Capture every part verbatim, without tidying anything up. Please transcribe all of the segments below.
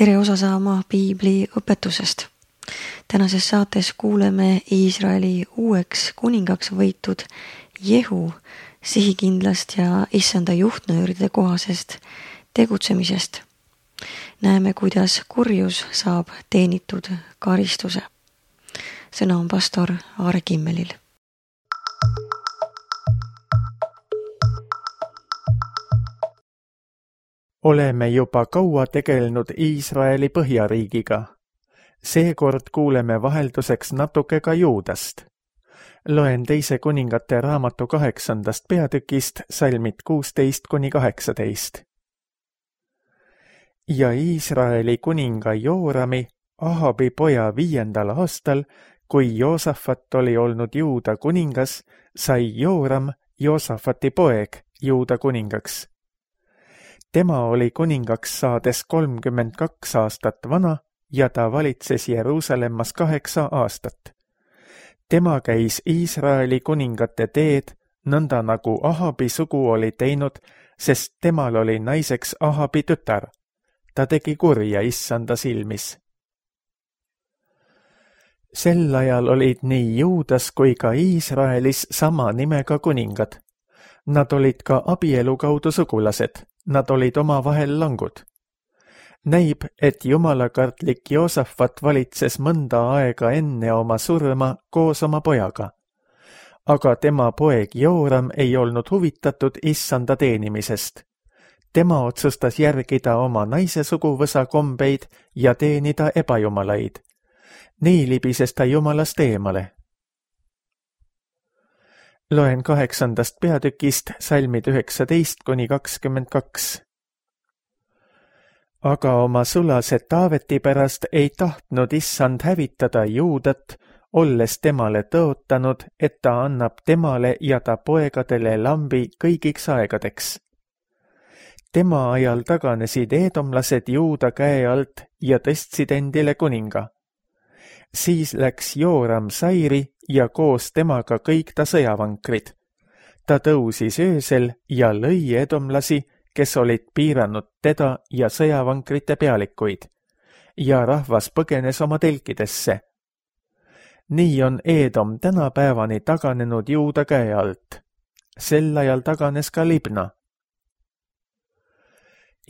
tere osa saama Piibli õpetusest. Tänases saates kuuleme Iisraeli uueks kuningaks võitud Jehu sihikindlast ja issanda juhtnööride kohasest tegutsemisest. Näeme, kuidas kurjus saab teenitud karistuse. Sõna on pastor Aare Kimmelil. Oleme juba kaua tegelenud Iisraeli põhjariigiga. Seekord kuuleme vahelduseks natuke ka Juudast. Loen teise kuningate raamatu kaheksandast peatükist salmid kuusteist kuni kaheksateist. Ja Iisraeli kuninga Joorami, Ahabi poja viiendal aastal, kui Joosafat oli olnud Juuda kuningas, sai Jooram, Joosafati poeg, Juuda kuningaks. Tema oli kuningaks saades kolmkümmend kaks aastat vana ja ta valitses Jeruusalemmas kaheksa aastat. Tema käis Iisraeli kuningate teed, nõnda nagu Ahabi sugu oli teinud, sest temal oli naiseks Ahabi tütar. Ta tegi kurja issanda silmis. Sel ajal olid nii Juudas kui ka Iisraelis sama nimega kuningad. Nad olid ka abielu kaudu sugulased. Nad olid omavahel langud. Näib, et jumalakartlik Joosafat valitses mõnda aega enne oma surma koos oma pojaga. Aga tema poeg Jooram ei olnud huvitatud issanda teenimisest. Tema otsustas järgida oma naise suguvõsa kombeid ja teenida ebajumalaid. Nii libises ta jumalast eemale. Loen kaheksandast peatükist salmid üheksateist kuni kakskümmend kaks. Aga oma sulase Taaveti pärast ei tahtnud issand hävitada Juudat, olles temale tõotanud, et ta annab temale ja ta poegadele lambi kõigiks aegadeks. Tema ajal taganesid eedomlased Juuda käe alt ja tõstsid endile kuninga. Siis läks Jooram Sairi ja koos temaga kõik ta sõjavankrid. Ta tõusis öösel ja lõi edomlasi, kes olid piiranud teda ja sõjavankrite pealikuid, ja rahvas põgenes oma telkidesse. Nii on Eedom tänapäevani taganenud Juuda käe alt. Sel ajal taganes ka Libna.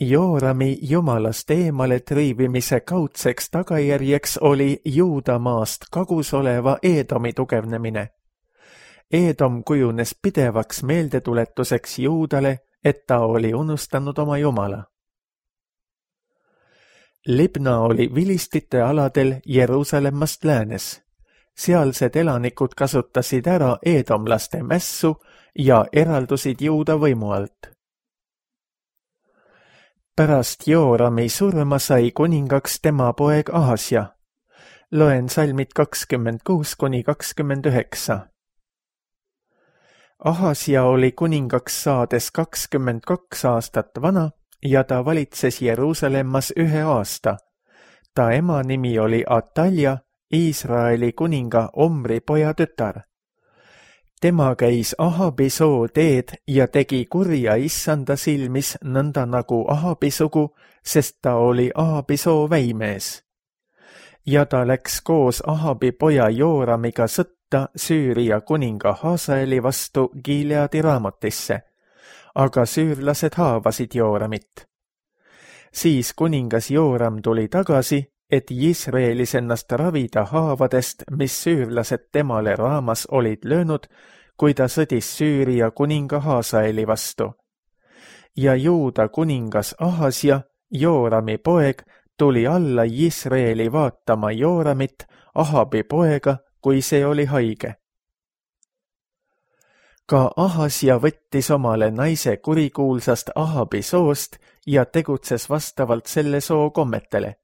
Joorami jumalast eemale triivimise kaudseks tagajärjeks oli Juuda maast kagus oleva Eedomi tugevnemine. Eedom kujunes pidevaks meeldetuletuseks Juudale, et ta oli unustanud oma jumala. Libna oli vilistite aladel Jeruusalemmast läänes. Sealsed elanikud kasutasid ära eedomlaste mässu ja eraldusid Juuda võimu alt. Pärast Joorami surma sai kuningaks tema poeg Ahasja. Loen salmid kakskümmend kuus kuni kakskümmend üheksa. Ahasja oli kuningaks saades kakskümmend kaks aastat vana ja ta valitses Jeruusalemmas ühe aasta. Ta ema nimi oli Atalja, Iisraeli kuninga Omri poja tütar. Tema käis Ahabi soo teed ja tegi kurja issanda silmis nõnda nagu Ahabi sugu, sest ta oli Ahabi soo väimees. Ja ta läks koos Ahabi poja Jooramiga sõtta Süüria kuninga Hasaeli vastu Gileadi Raamotisse, aga süürlased haavasid Jooramit. Siis kuningas Jooram tuli tagasi, et Iisraelis ennast ravida haavadest, mis süürlased temale Raamas olid löönud, kui ta sõdis Süüria kuninga Hasaeli vastu. Ja Juuda kuningas Ahasja, Joorami poeg, tuli alla Iisraeli vaatama Jooramit, Ahabi poega, kui see oli haige. Ka Ahasja võttis omale naise kurikuulsast Ahabi soost ja tegutses vastavalt selle soo kommetele.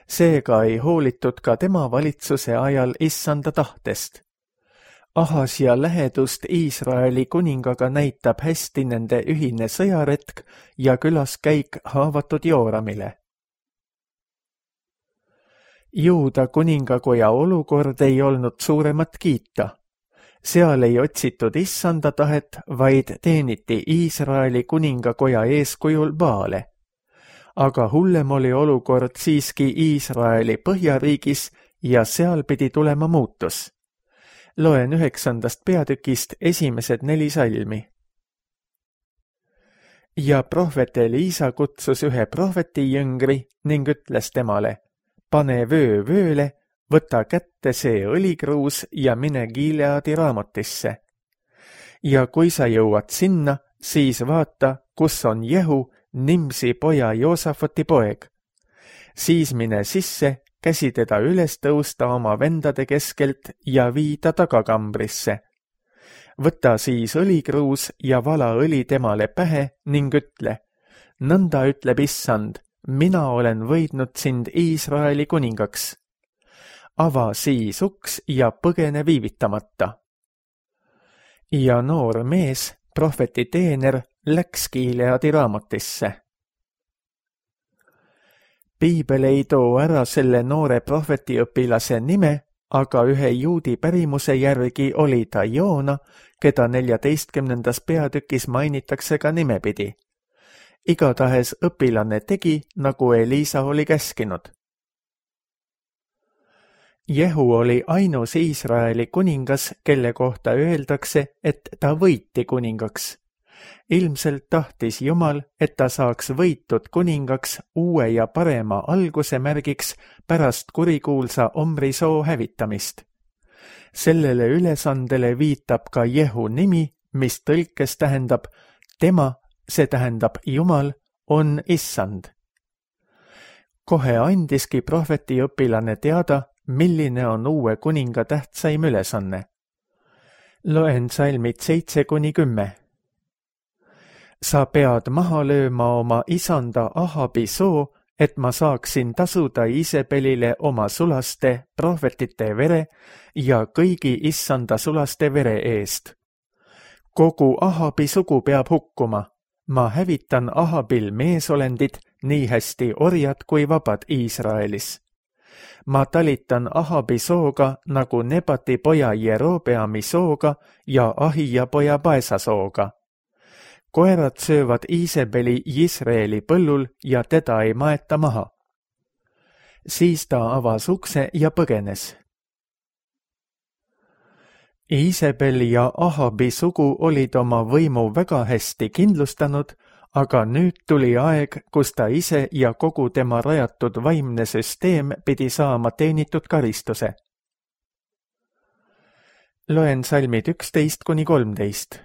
Seega ei hoolitud ka tema valitsuse ajal issanda tahtest. Ahasja lähedust Iisraeli kuningaga näitab hästi nende ühine sõjaretk ja külaskäik haavatud Jooramile. Juuda kuningakoja olukord ei olnud suuremat kiita. Seal ei otsitud issanda tahet, vaid teeniti Iisraeli kuningakoja eeskujul Baale. aga hullem oli olukord siiski Iisraeli põhjariigis ja seal pidi tulema muutus. Loen üheksandast peatükist esimesed neli salmi. Ja prohvet Eliisa kutsus ühe prohveti jüngri ning ütles temale, pane vöö vööle, võta kätte see õlikruus ja mine Gileadi raamotisse. Ja kui sa jõuad sinna, siis vaata, kus on Jehu, Nimsi poja Joosafati poeg. Siis mine sisse, käsi teda üles tõusta oma vendade keskelt ja viida tagakambrisse. Võta siis õlikruus ja vala õli temale pähe ning ütle, nõnda ütleb Issand, mina olen võidnud sind Iisraeli kuningaks. Ava siis uks ja põgene viivitamata. Ja noor mees, prohveti teener, läks Gileadi raamotisse. Piibel ei too ära selle noore prohvetiõpilase nime, aga ühe juudi pärimuse järgi oli ta Joona, keda neljateistkümnendas peatükis mainitakse ka nimepidi. Igatahes õpilane tegi, nagu Eliisa oli käskinud. Jehu oli ainus Iisraeli kuningas, kelle kohta öeldakse, et ta võiti kuningaks. Ilmselt tahtis Jumal, et ta saaks võitud kuningaks uue ja parema alguse märgiks pärast kurikuulsa Omri soo hävitamist. Sellele ülesandele viitab ka Jehu nimi, mis tõlkes tähendab tema, see tähendab Jumal, on Issand. Kohe andiski prohvetiõpilane teada, milline on uue kuninga tähtsaim ülesanne. Loen salmid seitse kuni kümme. Sa pead maha lööma oma isanda Ahabi soo, et ma saaksin tasuda Iisebelile oma sulaste, prohvetite vere ja kõigi issanda sulaste vere eest. Kogu Ahabi sugu peab hukkuma. Ma hävitan Ahabil meesolendid, nii hästi orjad kui vabad Iisraelis. Ma talitan Ahabi sooga nagu Nebati poja Jerobeami sooga ja Ahija poja Baesa sooga. Koerad söövad Iisebeli Jisraeli põllul ja teda ei maeta maha. Siis ta avas ukse ja põgenes. Iisebel ja Ahabi sugu olid oma võimu väga hästi kindlustanud, aga nüüd tuli aeg, kus ta ise ja kogu tema rajatud vaimne süsteem pidi saama teenitud karistuse. Loen salmid üksteist kuni kolmteist.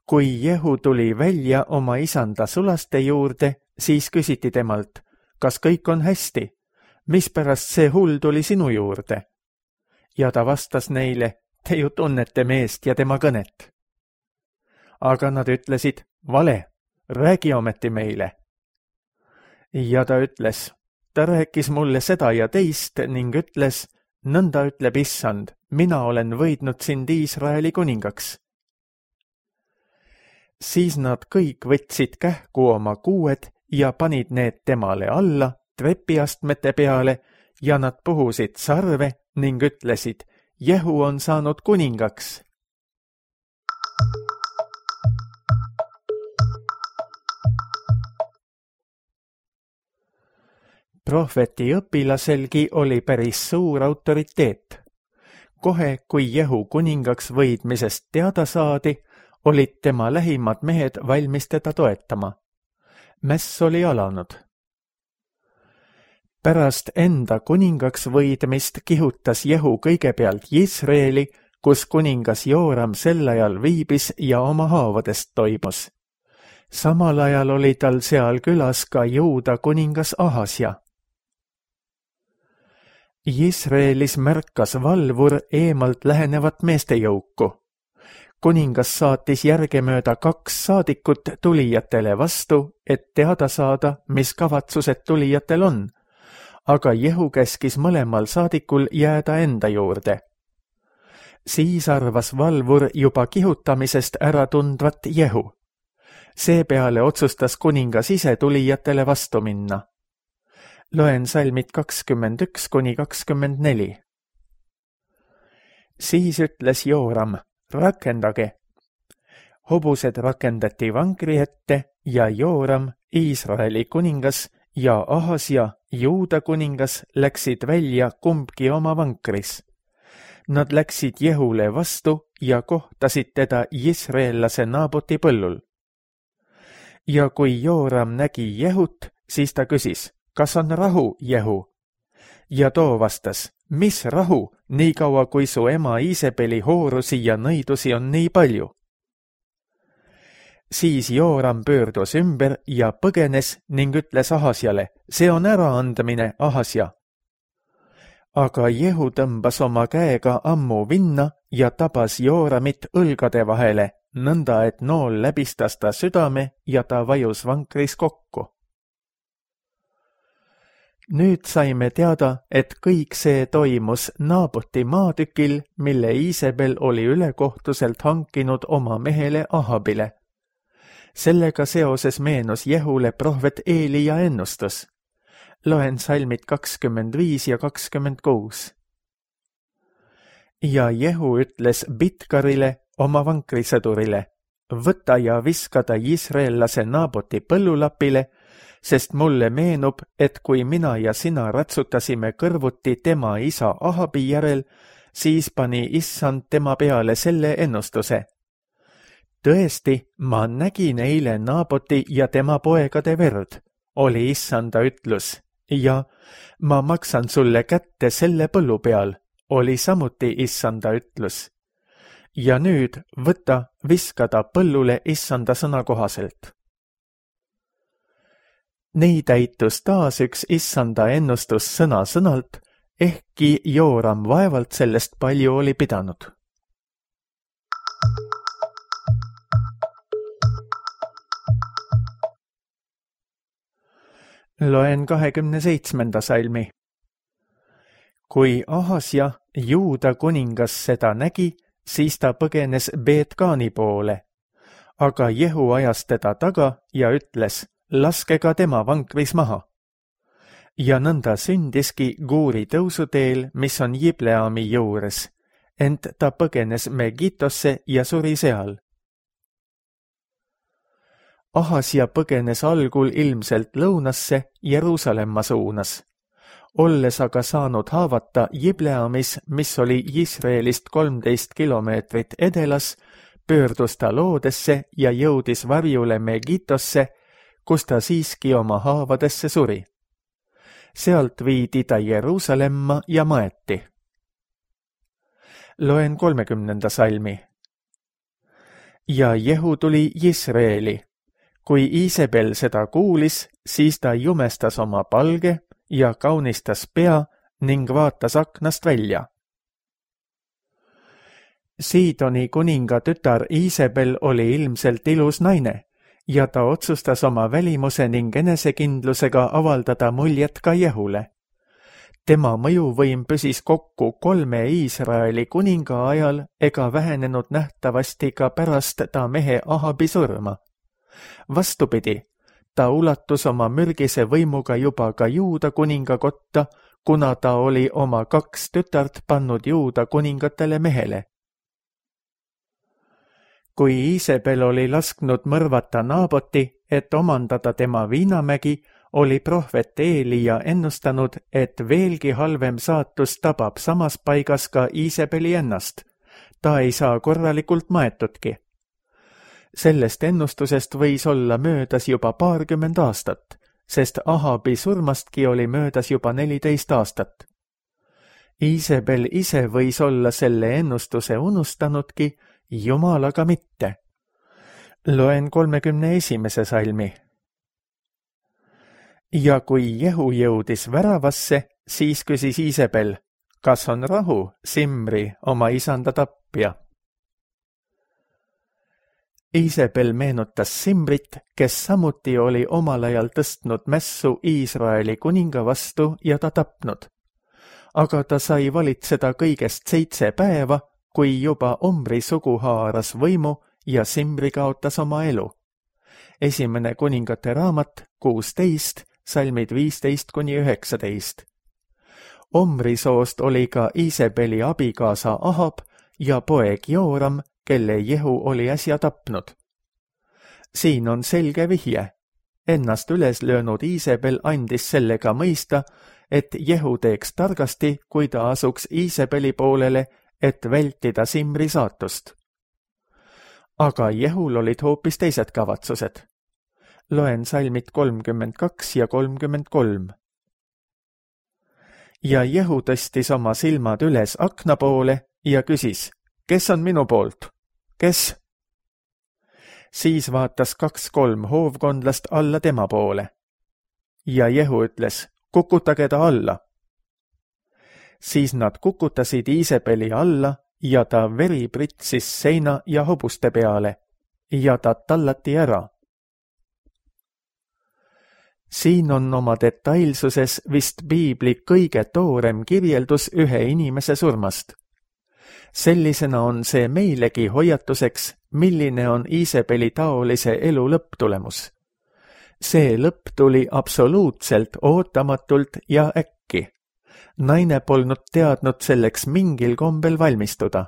Kui Jehu tuli välja oma isanda sulaste juurde, siis küsiti temalt, kas kõik on hästi, mispärast see hull tuli sinu juurde? Ja ta vastas neile, te ju tunnete meest ja tema kõnet. Aga nad ütlesid, vale, räägi ometi meile. Ja ta ütles, ta rääkis mulle seda ja teist ning ütles, nõnda ütleb Issand, mina olen võidnud sind Iisraeli kuningaks. Siis nad kõik võtsid kähku oma kuued ja panid need temale alla trepiastmete peale ja nad puhusid sarve ning ütlesid, Jehu on saanud kuningaks. Prohveti õpilaselgi oli päris suur autoriteet. Kohe, kui Jehu kuningaks võidmisest teada saadi, olid tema lähimad mehed valmis teda toetama. Mäss oli alanud. Pärast enda kuningaks võidmist kihutas Jehu kõigepealt Jisraeli, kus kuningas Jooram sel ajal viibis ja oma haavadest toimus. Samal ajal oli tal seal külas ka Juuda kuningas Ahasja. Jisraelis märkas valvur eemalt lähenevat meestejõuku. Kuningas saatis järgemööda kaks saadikut tulijatele vastu, et teada saada, mis kavatsused tulijatel on, aga Jehu käskis mõlemal saadikul jääda enda juurde. Siis arvas valvur juba kihutamisest ära tundvat Jehu. Seepeale otsustas kuningas ise tulijatele vastu minna. Loen salmid kakskümmend üks kuni kakskümmend neli. Siis ütles Jooram, rakendage. Hobused rakendati vankri ette ja Jooram Iisraeli kuningas ja Ahasja, Juuda kuningas, läksid välja kumbki oma vankris. Nad läksid Jehule vastu ja kohtasid teda Jisreellase Naaboti põllul. Ja kui Jooram nägi Jehut, siis ta küsis, kas on rahu, Jehu? Ja too vastas, mis rahu, niikaua kui su ema Iisebeli hoorusi ja nõidusi on nii palju. Siis Jooram pöördus ümber ja põgenes ning ütles Ahasjale, see on äraandmine, Ahasja. Aga Jehu tõmbas oma käega ammu vinna ja tabas Jooramit õlgade vahele, nõnda et nool läbistas ta südame ja ta vajus vankris kokku. Nüüd saime teada, et kõik see toimus Naaboti maatükil, mille Iisebel oli ülekohtuselt hankinud oma mehele Ahabile. Sellega seoses meenus Jehule prohvet Eelija ennustus. Loen salmid kakskümmend viis ja kakskümmend kuus. Ja Jehu ütles Bitkarile, oma vankrisõdurile, võta ja viska ta Jisreellase Naaboti põllulapile, sest mulle meenub, et kui mina ja sina ratsutasime kõrvuti tema isa Ahabi järel, siis pani issand tema peale selle ennustuse. Tõesti, ma nägin eile Naaboti ja tema poegade verd, oli issanda ütlus, ja ma maksan sulle kätte selle põllu peal, oli samuti issanda ütlus. Ja nüüd võta, viska ta põllule issanda sõna kohaselt. Nii täitus taas üks issanda ennustus sõna sõnalt, ehkki Jooram vaevalt sellest palju oli pidanud. Loen kahekümne seitsmenda salmi. Kui Ahasja, Juuda kuningas seda nägi, siis ta põgenes Beetkaani poole, aga Jehu ajas teda taga ja ütles, laske ka tema vankris maha. Ja nõnda sündiski Guuri tõusuteel, mis on Jibleami juures, ent ta põgenes Megitosse ja suri seal. Ahasja põgenes algul ilmselt lõunasse Jeruusalemma suunas. Olles aga saanud haavata Jibleamis, mis oli Jisraelist kolmteist kilomeetrit edelas, pöördus ta loodesse ja jõudis varjule Megitosse, kus ta siiski oma haavadesse suri. Sealt viidi ta Jeruusalemma ja maeti. Loen kolmekümnenda salmi. Ja Jehu tuli Jisraeli. Kui Iisebel seda kuulis, siis ta jumestas oma palge ja kaunistas pea ning vaatas aknast välja. Siidoni kuninga tütar Iisebel oli ilmselt ilus naine ja ta otsustas oma välimuse ning enesekindlusega avaldada muljet ka Jehule. Tema mõjuvõim püsis kokku kolme Iisraeli kuninga ajal ega vähenenud nähtavasti ka pärast ta mehe Ahabi surma. Vastupidi, ta ulatus oma mürgise võimuga juba ka Juuda kuninga kotta, kuna ta oli oma kaks tütart pannud Juuda kuningatele mehele. Kui Iisebel oli lasknud mõrvata Naaboti, et omandada tema viinamägi, oli prohvet Eelija ennustanud, et veelgi halvem saatus tabab samas paigas ka Iisebeli ennast. Ta ei saa korralikult maetudki. Sellest ennustusest võis olla möödas juba paarkümmend aastat, sest Ahabi surmastki oli möödas juba neliteist aastat. Iisebel ise võis olla selle ennustuse unustanudki, Jumal aga mitte. Loen kolmekümne esimese salmi. Ja kui Jehu jõudis väravasse, siis küsis Iisebel, kas on rahu, Simri, oma isanda tapja? Iisebel meenutas Simrit, kes samuti oli omal ajal tõstnud mässu Iisraeli kuninga vastu ja ta tapnud. Aga ta sai valitseda kõigest seitse päeva, kui juba Omri sugu haaras võimu ja Simri kaotas oma elu. Esimene kuningate raamat, kuusteist, salmid viisteist kuni üheksateist. Omri soost oli ka Iisebeli abikaasa Ahab ja poeg Jooram, kelle Jehu oli äsja tapnud. Siin on selge vihje. ennast üles löönud Iisebel andis sellega mõista, et Jehu teeks targasti, kui ta asuks Iisebeli poolele, et vältida Simri saatust. Aga Jehul olid hoopis teised kavatsused. Loen salmid kolmkümmend kaks ja kolmkümmend kolm. Ja Jehu tõstis oma silmad üles akna poole ja küsis, kes on minu poolt? Kes? Siis vaatas kaks-kolm hoovkondlast alla tema poole. Ja Jehu ütles, kukutage ta alla. Siis nad kukutasid Iisebeli alla ja ta veri pritsis seina ja hobuste peale ja ta tallati ära. Siin on oma detailsuses vist piibli kõige toorem kirjeldus ühe inimese surmast. Sellisena on see meilegi hoiatuseks, milline on Iisebeli taolise elu lõpptulemus. See lõpp tuli absoluutselt ootamatult ja äkki. Naine polnud teadnud selleks mingil kombel valmistuda.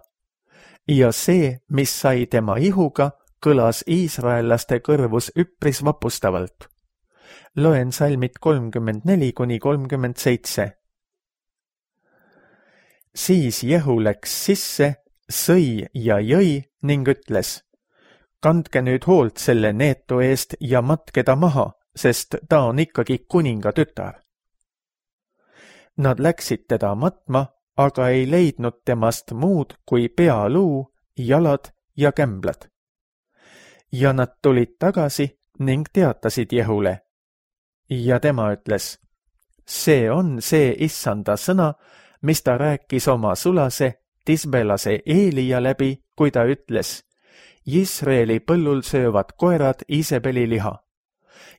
Ja see, mis sai tema ihuga, kõlas iisraellaste kõrvus üpris vapustavalt. Loen salmid kolmkümmend neli kuni kolmkümmend seitse. Siis Jehu läks sisse, sõi ja jõi ning ütles, kandke nüüd hoolt selle neetu eest ja matke ta maha, sest ta on ikkagi kuninga tütar. Nad läksid teda matma, aga ei leidnud temast muud kui pealuu, jalad ja kämblad. Ja nad tulid tagasi ning teatasid Jehule. Ja tema ütles, see on see issanda sõna, mis ta rääkis oma sulase, tisbelase Eelia läbi, kui ta ütles, Iisraeli põllul söövad koerad Iisebeli liha.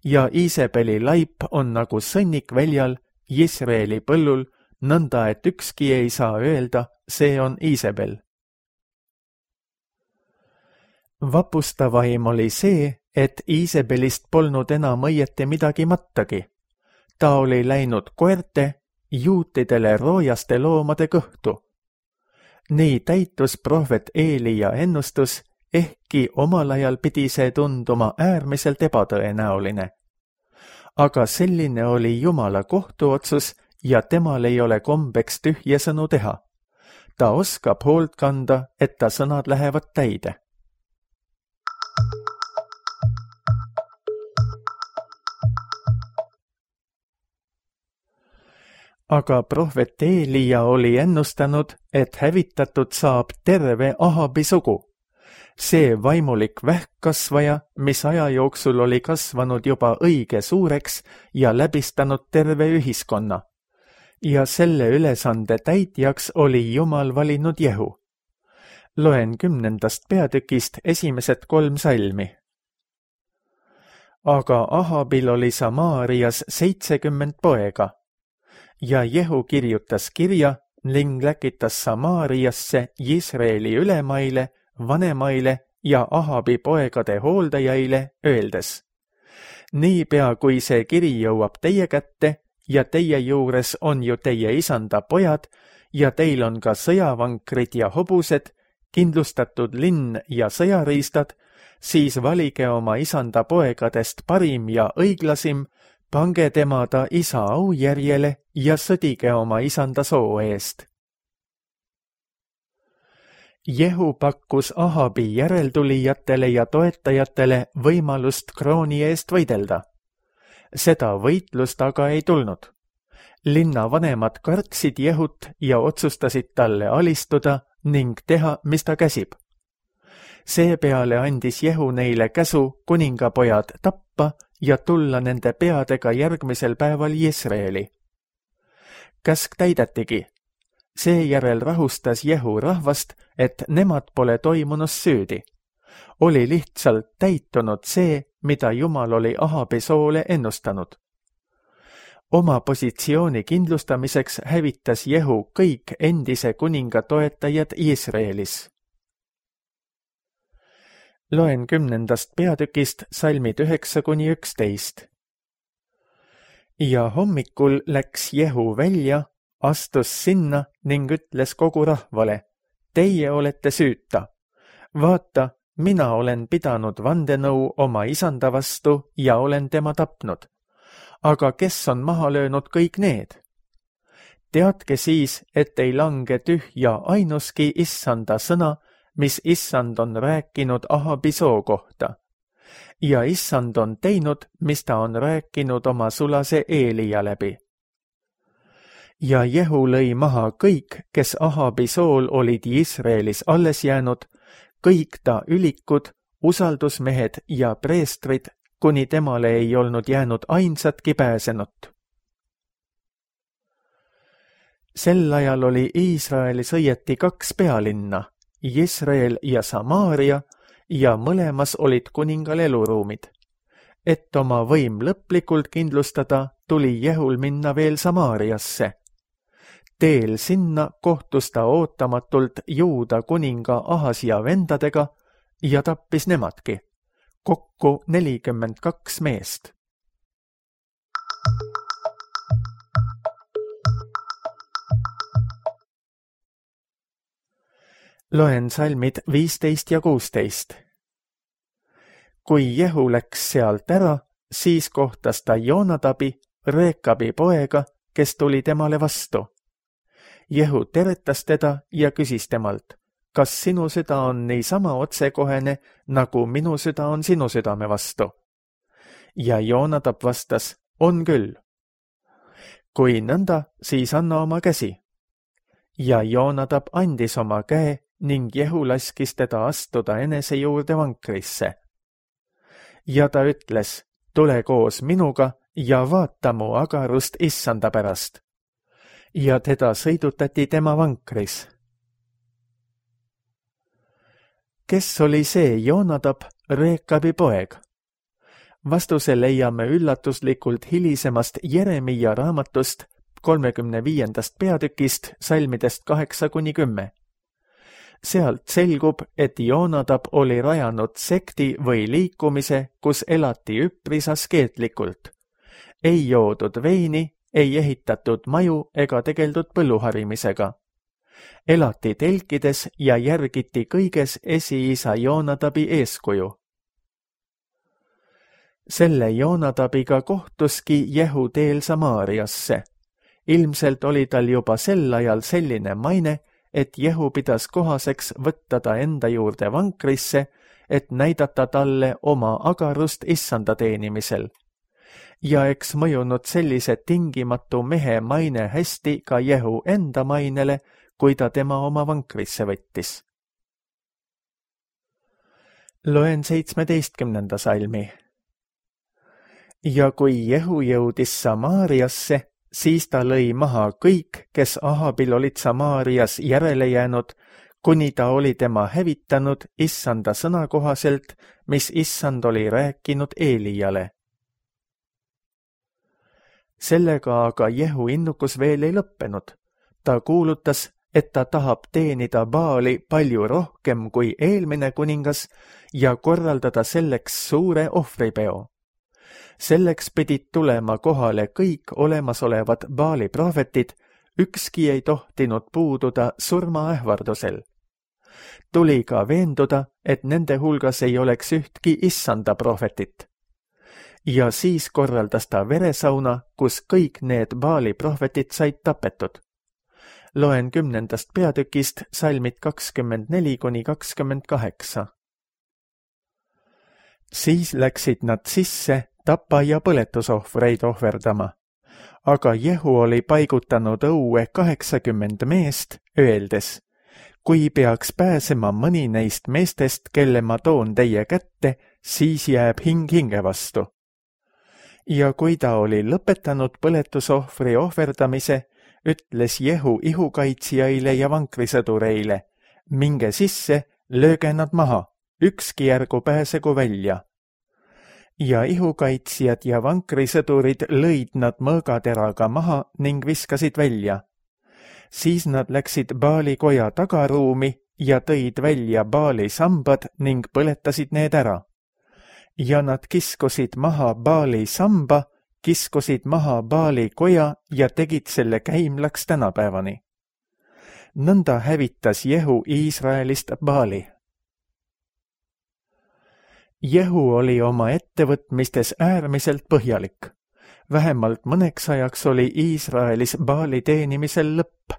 Ja Iisebeli laip on nagu sõnnik väljal Iisraeli põllul, nõnda et ükski ei saa öelda, see on Iisebel. Vapustavaim oli see, et Iisebelist polnud enam õieti midagi mattagi. Ta oli läinud koerte, juutidele roojaste loomade kõhtu. Nii täitus prohvet Eelia ennustus, ehkki omal ajal pidi see tunduma äärmiselt ebatõenäoline. Aga selline oli Jumala kohtuotsus ja temal ei ole kombeks tühje sõnu teha. Ta oskab hoolt kanda, et ta sõnad lähevad täide. Aga prohvet Eelia oli ennustanud, et hävitatud saab terve Ahabi sugu. See vaimulik vähkkasvaja, mis aja jooksul oli kasvanud juba õige suureks ja läbistanud terve ühiskonna. Ja selle ülesande täitjaks oli Jumal valinud Jehu. Loen kümnendast peatükist esimesed kolm salmi. Aga Ahabil oli Samaarias seitsekümmend poega. Ja Jehu kirjutas kirja ning läkitas Samaariasse Iisraeli ülemaile, vanemaile ja Ahabi poegade hooldajaile, öeldes, niipea kui see kiri jõuab teie kätte ja teie juures on ju teie isanda pojad ja teil on ka sõjavankrid ja hobused, kindlustatud linn ja sõjariistad, siis valige oma isanda poegadest parim ja õiglasim, pange tema ta isa aujärjele ja sõdige oma isanda soo eest. Jehu pakkus Ahabi järeltulijatele ja toetajatele võimalust krooni eest võidelda. Seda võitlust aga ei tulnud. Linna vanemad kartsid Jehut ja otsustasid talle alistuda ning teha, mis ta käsib. Seepeale andis Jehu neile käsu kuningapojad tappa ja tulla nende peadega järgmisel päeval Iisraeli. Käsk täidetigi. Seejärel rahustas Jehu rahvast, et nemad pole toimunus süüdi. Oli lihtsalt täitunud see, mida Jumal oli Ahabi soole ennustanud. Oma positsiooni kindlustamiseks hävitas Jehu kõik endise kuninga toetajad Iisraelis. Loen kümnendast peatükist salmid üheksa kuni üksteist. Ja hommikul läks Jehu välja, astus sinna ning ütles kogu rahvale, teie olete süüta. Vaata, mina olen pidanud vandenõu oma isanda vastu ja olen tema tapnud. Aga kes on maha löönud kõik need? Teadke siis, et ei lange tühja ainuski issanda sõna, mis issand on rääkinud Ahabi soo kohta. Ja issand on teinud, mis ta on rääkinud oma sulase Eelia läbi. Ja Jehu lõi maha kõik, kes Ahabi sool olid Iisraelis alles jäänud, kõik ta ülikud, usaldusmehed ja preestrid, kuni temale ei olnud jäänud ainsatki pääsenut. Sel ajal oli Iisraelis õieti kaks pealinna, Iisrael ja Samaaria, ja mõlemas olid kuningal eluruumid. Et oma võim lõplikult kindlustada, tuli Jehul minna veel Samaariasse. Teel sinna kohtus ta ootamatult Juuda kuninga Ahasia vendadega ja tappis nemadki, kokku nelikümmend kaks meest. Loen salmid viisteist ja kuusteist. Kui Jehu läks sealt ära, siis kohtas ta Joonadabi, Reekabi poega, kes tuli temale vastu. Jehu teretas teda ja küsis temalt, kas sinu süda on niisama otsekohene, nagu minu süda on sinu südame vastu? Ja Joonadab vastas, on küll. Kui nõnda, siis anna oma käsi. Ja Joonadab andis oma käe ning Jehu laskis teda astuda enese juurde vankrisse. Ja ta ütles, tule koos minuga ja vaata mu agarust issanda pärast. Ja teda sõidutati tema vankris. Kes oli see Joonadab, Reekabi poeg? Vastuse leiame üllatuslikult hilisemast Jeremia raamatust kolmekümne viiendast peatükist salmidest kaheksa kuni kümme. Sealt selgub, et Joonadab oli rajanud sekti või liikumise, kus elati üpris askeetlikult. Ei joodud veini, ei ehitatud maju ega tegeldud põlluharimisega. Elati telkides ja järgiti kõiges esiisa Joonadabi eeskuju. Selle Joonadabiga kohtuski Jehu teel Samaariasse. Ilmselt oli tal juba sel ajal selline maine, et Jehu pidas kohaseks võtta ta enda juurde vankrisse, et näidata talle oma agarust issanda teenimisel. Ja eks mõjunud sellise tingimatu mehe maine hästi ka Jehu enda mainele, kui ta tema oma vankrisse võttis. Loen seitsmeteistkümnenda salmi. Ja kui Jehu jõudis Samaariasse, siis ta lõi maha kõik, kes Ahabil olid Samaarias järele jäänud, kuni ta oli tema hävitanud issanda sõna kohaselt, mis issand oli rääkinud Eeliale. Sellega aga Jehu innukus veel ei lõppenud. Ta kuulutas, et ta tahab teenida Baali palju rohkem kui eelmine kuningas ja korraldada selleks suure ohvripeo. Selleks pidid tulema kohale kõik olemasolevad Baali prohvetid, ükski ei tohtinud puududa surmaähvardusel. Tuli ka veenduda, et nende hulgas ei oleks ühtki issanda prohvetit. Ja siis korraldas ta veresauna, kus kõik need Baali prohvetid said tapetud. Loen kümnendast peatükist salmid kakskümmend neli kuni kakskümmend kaheksa. Siis läksid nad sisse tapa ja põletusohvreid ohverdama. Aga Jehu oli paigutanud õue kaheksakümmend meest, öeldes, kui peaks pääsema mõni neist meestest, kelle ma toon teie kätte, siis jääb hing hinge vastu. Ja kui ta oli lõpetanud põletusohvri ohverdamise, ütles Jehu ihukaitsjaile ja vankrisõdureile, minge sisse, lööge nad maha, ükski järgu pääsegu välja. Ja ihukaitsjad ja vankrisõdurid lõid nad mõõgateraga maha ning viskasid välja. Siis nad läksid Baali koja tagaruumi ja tõid välja Baali sambad ning põletasid need ära. Ja nad kiskusid maha Baali samba, kiskusid maha Baali koja ja tegid selle käimlaks tänapäevani. Nõnda hävitas Jehu Iisraelist Baali. Jehu oli oma ettevõtmistes äärmiselt põhjalik. Vähemalt mõneks ajaks oli Iisraelis Baali teenimisel lõpp.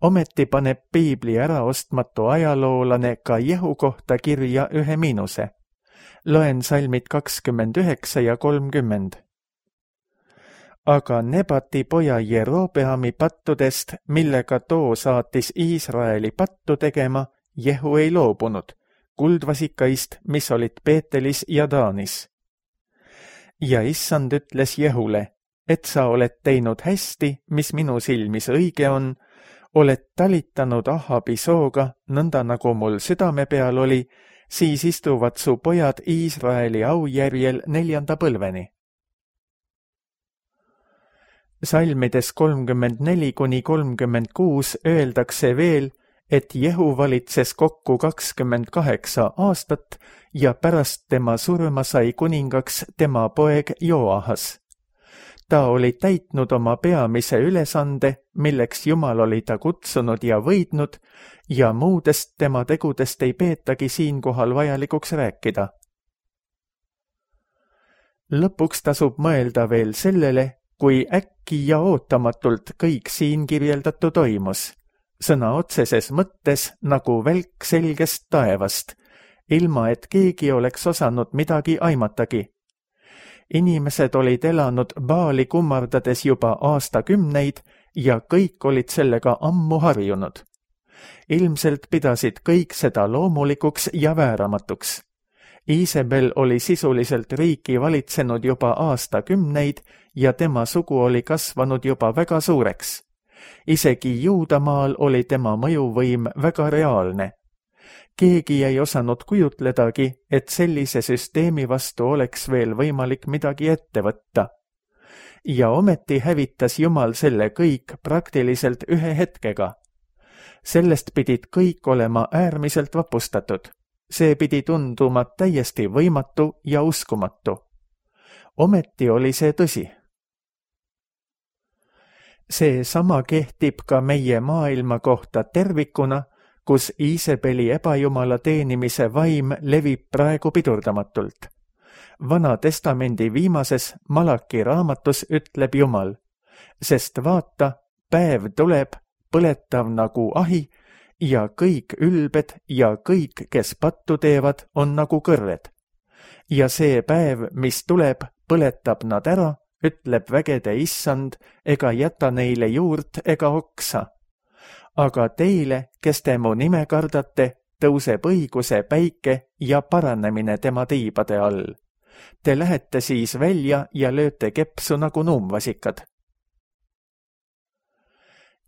Ometi paneb Piibli äraostmatu ajaloolane ka Jehu kohta kirja ühe miinuse. Loen salmid kakskümmend üheksa ja kolmkümmend. Aga Nebati poja Jerobeami pattudest, millega too saatis Iisraeli pattu tegema, Jehu ei loobunud, kuldvasikaist, mis olid Peetelis ja Daanis. Ja issand ütles Jehule, et sa oled teinud hästi, mis minu silmis õige on, oled talitanud Ahabi sooga, nõnda nagu mul südame peal oli, siis istuvad su pojad Iisraeli aujärjel neljanda põlveni. Salmides kolmkümmend neli kuni kolmkümmend kuus öeldakse veel, et Jehu valitses kokku kakskümmend kaheksa aastat ja pärast tema surma sai kuningaks tema poeg Joahas. Ta oli täitnud oma peamise ülesande, milleks Jumal oli ta kutsunud ja võidnud, ja muudest tema tegudest ei peetagi siinkohal vajalikuks rääkida. Lõpuks tasub mõelda veel sellele, kui äkki ja ootamatult kõik siin kirjeldatu toimus, sõna otseses mõttes nagu välk selgest taevast, ilma et keegi oleks osanud midagi aimatagi. Inimesed olid elanud Baali kummardades juba aastakümneid ja kõik olid sellega ammu harjunud. Ilmselt pidasid kõik seda loomulikuks ja vääramatuks. Iisabel oli sisuliselt riiki valitsenud juba aastakümneid ja tema sugu oli kasvanud juba väga suureks. Isegi Juudamaal oli tema mõjuvõim väga reaalne. Keegi ei osanud kujutledagi, et sellise süsteemi vastu oleks veel võimalik midagi ette võtta. Ja ometi hävitas Jumal selle kõik praktiliselt ühe hetkega. Sellest pidid kõik olema äärmiselt vapustatud. See pidi tunduma täiesti võimatu ja uskumatu. Ometi oli see tõsi. See sama kehtib ka meie maailma kohta tervikuna, kus Iisabeli ebajumala teenimise vaim levib praegu pidurdamatult. Vana testamendi viimases Malaki raamatus ütleb Jumal, sest vaata, päev tuleb, põletav nagu ahi, ja kõik ülbed ja kõik, kes pattu teevad, on nagu kõrved. Ja see päev, mis tuleb, põletab nad ära, ütleb vägede issand, ega jäta neile juurt ega oksa. Aga teile, kes te mu nime kardate, tõuseb õiguse päike ja paranemine tema tiibade all. Te lähete siis välja ja lööte kepsu nagu nuumvasikad.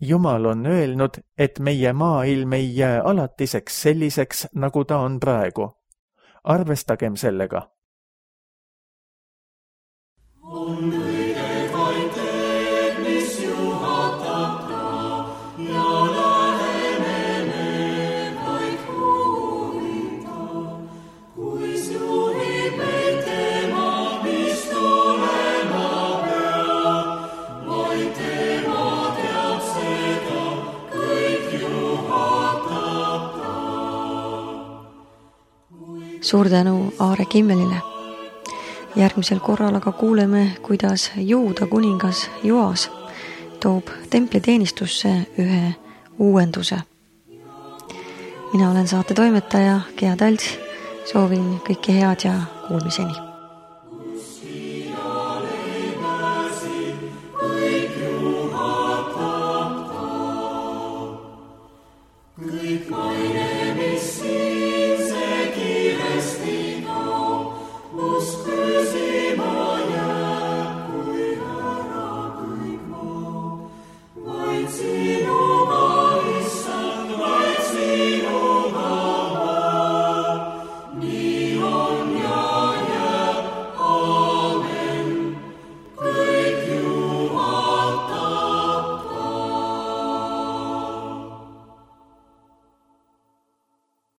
Jumal on öelnud, et meie maailm ei jää alatiseks selliseks, nagu ta on praegu. Arvestagem sellega. On kõige vaid teed, mis juhatab ta, ja läheneme vaid huvita, kuis juhib meid tema, mis tulema peab, vaid tema teab seda, kõik juhatab ta. Suur tänu Aare Kimmelile. Järgmisel korral aga kuuleme, kuidas Juuda kuningas Joas toob templiteenistusse ühe uuenduse. Mina olen saate toimetaja Gea Talts, soovin kõike head ja kuulmiseni.